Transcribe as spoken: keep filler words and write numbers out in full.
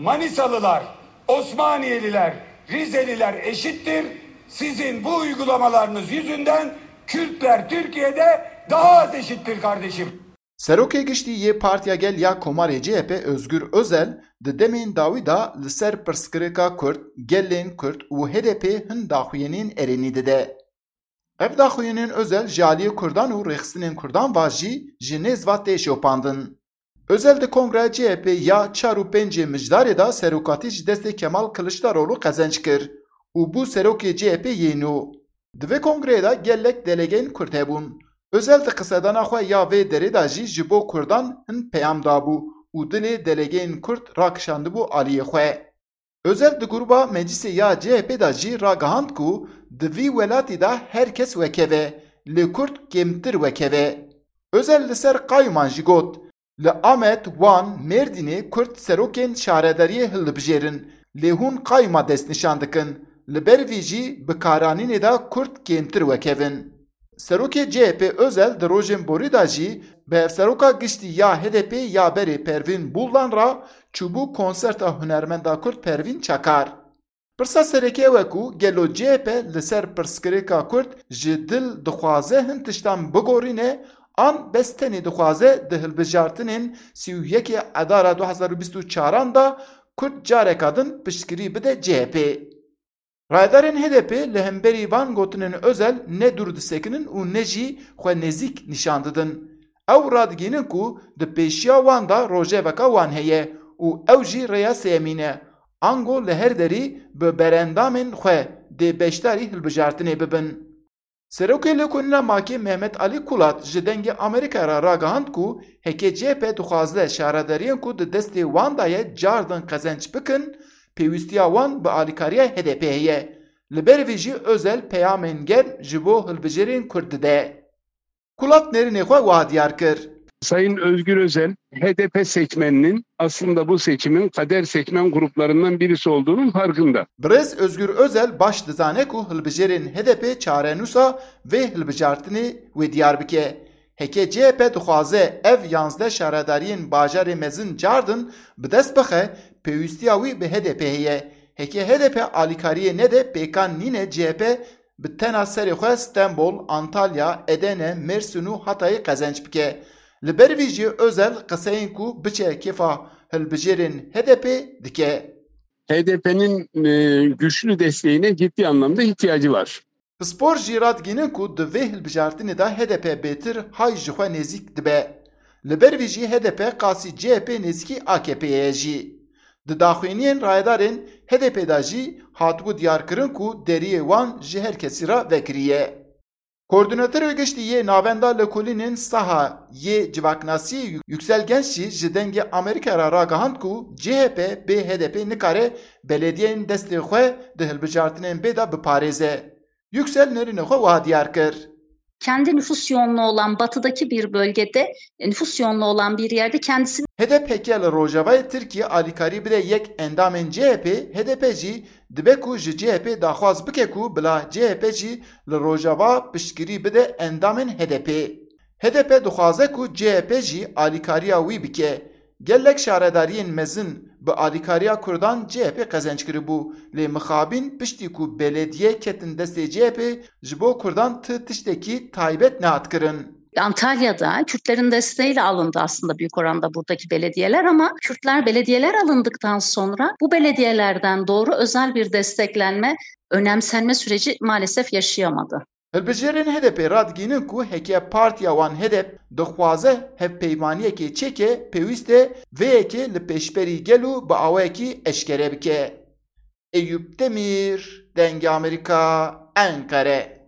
Manisalılar, Osmaniyeliler, Rizeliler eşittir. Sizin bu uygulamalarınız yüzünden Kürtler Türkiye'de daha az eşittir kardeşim. Serokê Giştî yê Partiya Gel ya Komarê C H P Özgür Özel di demên dawî de li ser pirsgirêka Kurd, gelên Kurd û H D P hin daxuyaniyên erênî dide. Ev daxuyaniyên Özel ji aliyê Kurdan û rêxistinên Kurdan ve jî ji nêz ve tê şopandin. Özel di Kongreya C H P ya çar û pêncê Mijdarê de serokatî ji destê Kemal Kiliçdaroglu qezenc kir û bû serokê C H P yê nû. Di vê kongreyê de gelek delegeyên Kurd hebûn. Özel di qisedana xwe ya vê derê de jî ji bo Kurdan hin peyam dabû û dilê delegeyên Kurd rakişandibû aliyê xwe. Özel di gruba meclisê ya C H P de jî ragihand ku di vî welatî de her kes wekeve, lê Kurd kêmtir wekeve. Özel li ser qayûman jî got, Li Amed, Wan, Mêrdînê Kurd serokên şaredariyê hildibijêrin, lê hûn qayûma destnîşan dikin. Li ber vî jî bi karanînê de Kurd kêmtir wekevin. Serokê C H P Özel di rojên borî de jî bi hevseroka giştî ya H D P ya berê Pervîn Buldan re çûbû konserta hunermenda Kurd Pervîn Çakar. Pirsa sereke ew e ku gelo C H P li ser pirsgirêka Kurd ji dil dixwaze hin tiştan bigorîne an bes tenê dixwaze di hilbijartinên sî û yekê Edara du hezar û bîst û çaran de Kurd careka din piştgirî bide C H P. Rayedarên H D P li hemberî van gotinên Özel ne dûr disekinin û ne jî xwe nêzîk nîşan didin. Ew radigihînin ku di pêşiya wan de rojeveka wan heye û ew jî rêya sêyemîn e. Ango li her derî bi berendamên xwe dê beşdarî hilbijartinê bibin. Serokê Lêkolîna Makê Mehmet Alî Kulat ji Dengê Amerîkayê re ragihand ku heke C H P dixwaze şaredariyên ku di destê wan de ye cardin qezenc bikin, pêwîstiya wan bi alîkariya H D P heye. Li ber vê jî Özel peyamên germ ji bo hilbijêrên Kurd dide. Kulat nêrînê xwe wiha diyar kir. Sayın Özgür Özel, H D P seçmeninin aslında bu seçimin kader seçmen gruplarından birisi olduğunun farkında. Birêz Özgür Özel baş dizane ku hilbijêrên H D P çarenûsa vê hilbijartinê wê diyar bike. Heke C H P dixwaze ev yanzdeh şaredariyên bajarê mezin cardin bi dest bixe, pêwîstiya wî bi H D P heye. Heke H D P alîkariyê nede, pêkan nîne C H P bi tena serê xwe Stenbol, Antalya, Edene, Mêrsîn û Hatayê qezenc bike. Li ber vî jî Özel qiseyên ku biçe kêfa hilbijêrên H D P dike. H D P'nin e, güçlü desteğine ciddi anlamda ihtiyacı var. Pispor jî radigihînin ku di vê hilbijartinê de H D P bêtir hay ji xwe nêzîk dibe. Li ber vî jî H D P qasî C H P nêzîkî A K P'ê ye jî. Di daxuyaniyên rayedarên H D P de jî hatibû diyarkirin ku deriyê wan ji her kesî re vekirî ye. Koordînatorê Giştî yê Navenda Lêkolînên Saha yê Civaknasiyê Yüksel Genç jî ji Dengê Amerîkayê re ragihand ku C H P bê H D P nikare belediyeyên destê xwe di hilbijartinên bê de biparêze. Yüksel nêrînê xwe wiha diyar kir. Kendi nüfus yoğunluğu olan batıdaki bir bölgede, nüfus yoğunluğu olan bir yerde kendisini H D P heke li rojavayê Tirkiyê alîkarî bide yek endamên C H P, H D P jî dibe ku ji C H P daxwaz bike ku bila C H P jî li rojava piştgirî bide endamên H D P. H D P dixwaze ku C H P jî alîkariya wî bike. Gelek şaredariyên mezin bi alîkariya Kurdan C H P qezenc kiribû, lê mixabin piştî ku belediye ketin destê C H P, ji bo Kurdan ti tiştekî taybet nehat kirin. Antalya'da Kürtlerin desteğiyle alındı aslında büyük oranda buradaki belediyeler ama Kürtler belediyeler alındıktan sonra bu belediyelerden doğru özel bir desteklenme, önemsenme süreci maalesef yaşayamadı. Hilbijêrên H D P radigihînin ku heke partiya wan H D P dixwaze hevpeymaniyekê çêke, pêwîst e vê yekê li pêşberî gel û bi awayekî eşkere bike. Eyûp Demîr, Dengê Amerîka, Enqere.